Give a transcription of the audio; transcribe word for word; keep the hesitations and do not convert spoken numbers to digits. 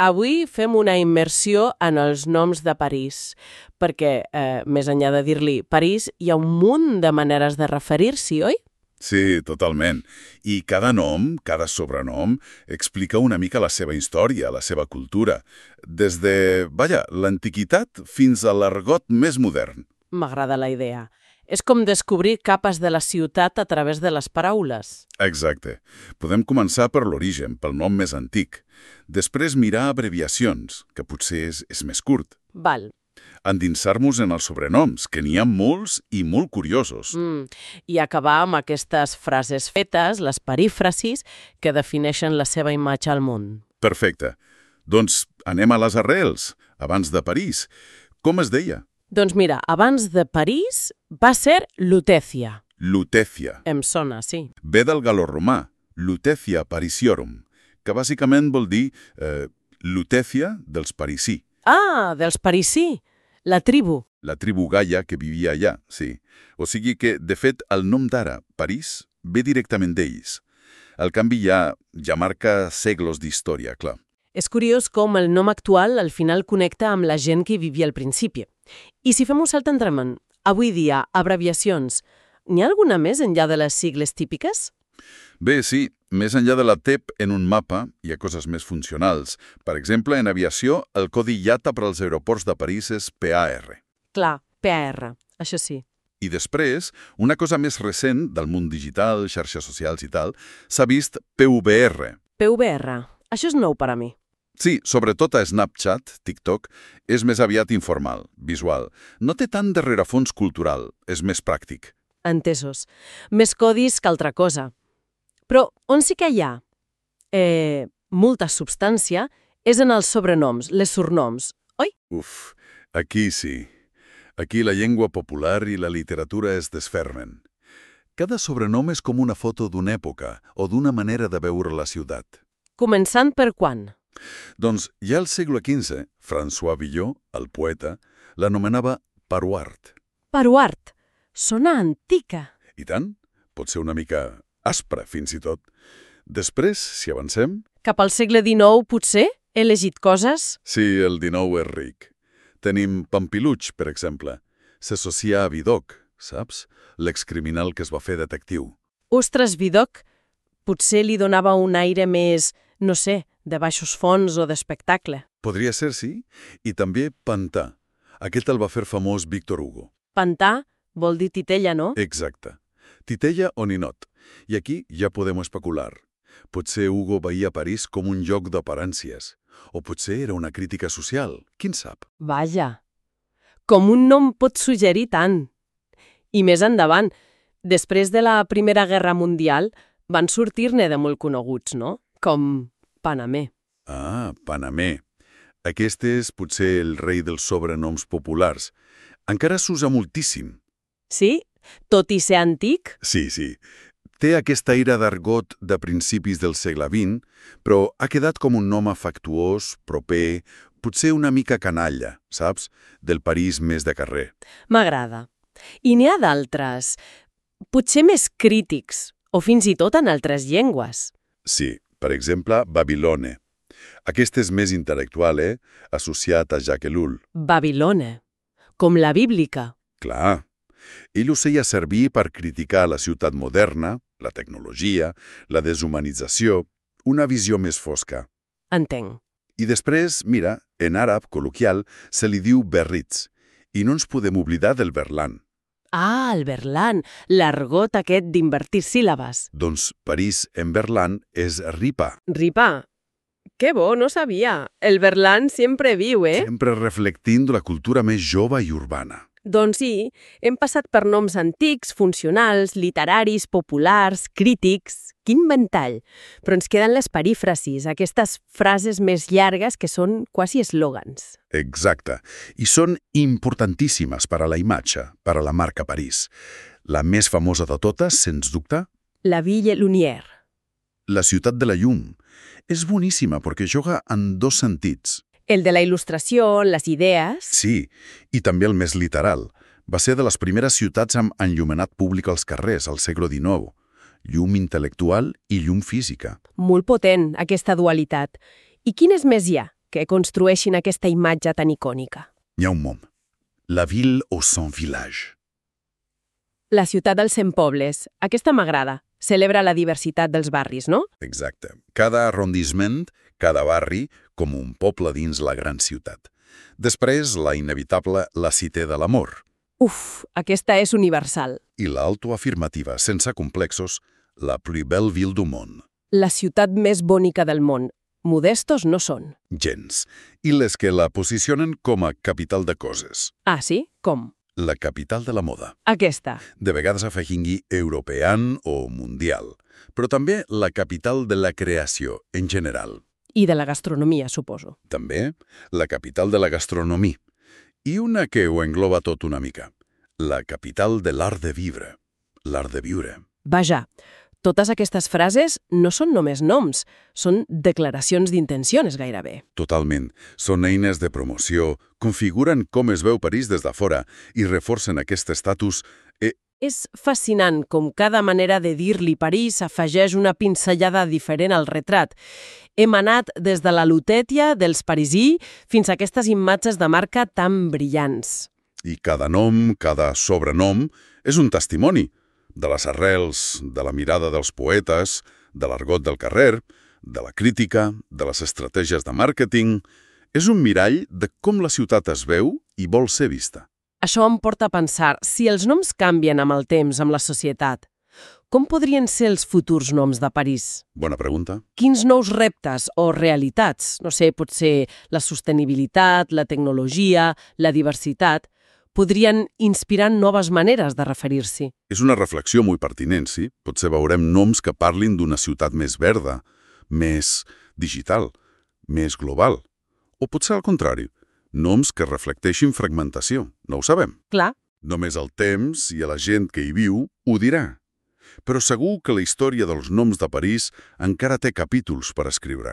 Avui fem una immersió en els noms de París, perquè, eh, més enllà de dir-li París, hi ha un munt de maneres de referir-s'hi, oi? Sí, totalment. I cada nom, cada sobrenom, explica una mica la seva història, la seva cultura, des de, vaja, l'antiguitat fins a l'argot més modern. M'agrada la idea. És com descobrir capes de la ciutat a través de les paraules. Exacte. Podem començar per l'origen, pel nom més antic. Després mirar abreviacions, que potser és, és més curt. Val. Endinsar-nos en els sobrenoms, que n'hi ha molts i molt curiosos. Mm. I acabar amb aquestes frases fetes, les perífrasis, que defineixen la seva imatge al món. Perfecte. Doncs anem a les arrels, abans de París. Com es deia? Doncs mira, abans de París va ser Lutetia. Lutetia. Em sona, sí. Ve del galoromà, Lutetia Parisiorum, que bàsicament vol dir eh, Lutetia dels parisí. Ah, dels parisí, la tribu. La tribu gaia que vivia allà, sí. O sigui que, de fet, el nom d'ara, París, ve directament d'ells. El canvi ja, ja marca segles d'història, clar. És curiós com el nom actual al final connecta amb la gent que hi vivia al principi. I si fem un salt endavant, avui dia, abreviacions, n'hi ha alguna més enllà de les sigles típiques? Bé, sí, més enllà de la T E P en un mapa hi ha coses més funcionals. Per exemple, en aviació, el codi I A T A per als aeroports de París és P A R. Clar, P A R, això sí. I després, una cosa més recent del món digital, xarxes socials i tal, s'ha vist P V R. P V R, això és nou per a mi. Sí, sobretot a Snapchat, TikTok, és més aviat informal, visual. No té tant de rerefons cultural, és més pràctic. Entesos. Més codis que altra cosa. Però on sí que hi ha eh, molta substància és en els sobrenoms, les surnoms, oi? Uf, aquí sí. Aquí la llengua popular i la literatura es desfermen. Cada sobrenom és com una foto d'una època o d'una manera de veure la ciutat. Començant per quan? Doncs ja al segle quinze, François Villon, el poeta, l'anomenava Paruart. Paruart. Sona antica. I tant, pot ser una mica aspre, fins i tot. Després, si avancem... Cap al segle dinou, potser? He llegit coses? Sí, el dinou és ric. Tenim Pampiluch, per exemple. S'associa a Vidocq, saps? L'excriminal que es va fer detectiu. Ostres, Vidocq. Potser li donava un aire més, no sé, de baixos fons o d'espectacle. Podria ser, sí. I també Pantà. Aquest el va fer famós Víctor Hugo. Pantà vol dir titella, no? Exacte. Titella o ninot. I aquí ja podem especular. Potser Hugo veia París com un lloc d'aparències. O potser era una crítica social. Qui en sap? Vaja. Com un nom pot suggerir tant. I més endavant, després de la Primera Guerra Mundial, van sortir-ne de molt coneguts, no? Com Panamé. Ah, Panamé. Aquest és potser el rei dels sobrenoms populars. Encara s'usa moltíssim. Sí? Tot i ser antic? Sí, sí. Té aquesta aire d'argot de principis del segle vint, però ha quedat com un nom afectuós, proper, potser una mica canalla, saps? Del París més de carrer. M'agrada. I n'hi ha d'altres, potser més crítics, o fins i tot en altres llengües. Sí, per exemple, Babilone. Aquest és més intel·lectual, eh? Associat a Jacques Ellul. Babilone. Com la bíblica. Clar. Ell ho feia servir per criticar la ciutat moderna, la tecnologia, la deshumanització, una visió més fosca. Entenc. I després, mira, en àrab col·loquial se li diu Berritz, i no ens podem oblidar del Berlan. Ah, el Berlan, l'argot aquest d'invertir síl·labes. Doncs París en Berlan és Ripa. Ripa. Que bo, no sabia. El Berlan sempre viu, eh? Sempre reflectint la cultura més jove i urbana. Doncs sí, hem passat per noms antics, funcionals, literaris, populars, crítics... Quin ventall! Però ens queden les perífrasis, aquestes frases més llargues que són quasi eslògans. Exacte. I són importantíssimes per a la imatge, per a la marca París. La més famosa de totes, sens dubte? La Ville Lumière. La ciutat de la llum. És boníssima perquè juga en dos sentits. El de la il·lustració, les idees... Sí, i també el més literal. Va ser de les primeres ciutats amb enllumenat públic als carrers, al segle dinou. Llum intel·lectual i llum física. Molt potent, aquesta dualitat. I quines més hi ha? que construeixin aquesta imatge tan icònica? N'hi ha un mom. La ville aux cent villages. La ciutat dels cent pobles. Aquesta m'agrada. Celebra la diversitat dels barris, no? Exacte. Cada arrondissement, cada barri, com un poble dins la gran ciutat. Després, la inevitable La Cité de l'Amor. Uf, aquesta és universal. I l'autoafirmativa, sense complexos, La plus belle ville du monde. La ciutat més bonica del món. Modestos no són. Gens. I les que la posicionen com a capital de coses. Ah, sí? Com? La capital de la moda. Aquesta. De vegades afegint-hi european o mundial. Però també la capital de la creació, en general. I de la gastronomia, suposo. També la capital de la gastronomia. I una que ho engloba tot una mica. La capital de l'art de vivre. L'art de viure. Vaja, totes aquestes frases no són només noms, són declaracions d'intencions gairebé. Totalment. Són eines de promoció, configuren com es veu París des de fora i reforcen aquest estatus. E... És fascinant com cada manera de dir-li París afegeix una pinzellada diferent al retrat. Hem anat des de la lutètia dels parisí fins a aquestes imatges de marca tan brillants. I cada nom, cada sobrenom, és un testimoni de les arrels, de la mirada dels poetes, de l'argot del carrer, de la crítica, de les estratègies de màrqueting. És un mirall de com la ciutat es veu i vol ser vista. Això em porta a pensar, si els noms canvien amb el temps, amb la societat, com podrien ser els futurs noms de París? Bona pregunta. Quins nous reptes o realitats, no sé, potser la sostenibilitat, la tecnologia, la diversitat, podrien inspirar noves maneres de referir-s'hi? És una reflexió molt pertinent, sí? Potser veurem noms que parlin d'una ciutat més verda, més digital, més global. O potser al contrari, noms que reflecteixin fragmentació. No ho sabem. Clar. Només el temps i la gent que hi viu ho dirà. Però segur que la història dels noms de París encara té capítols per escriure.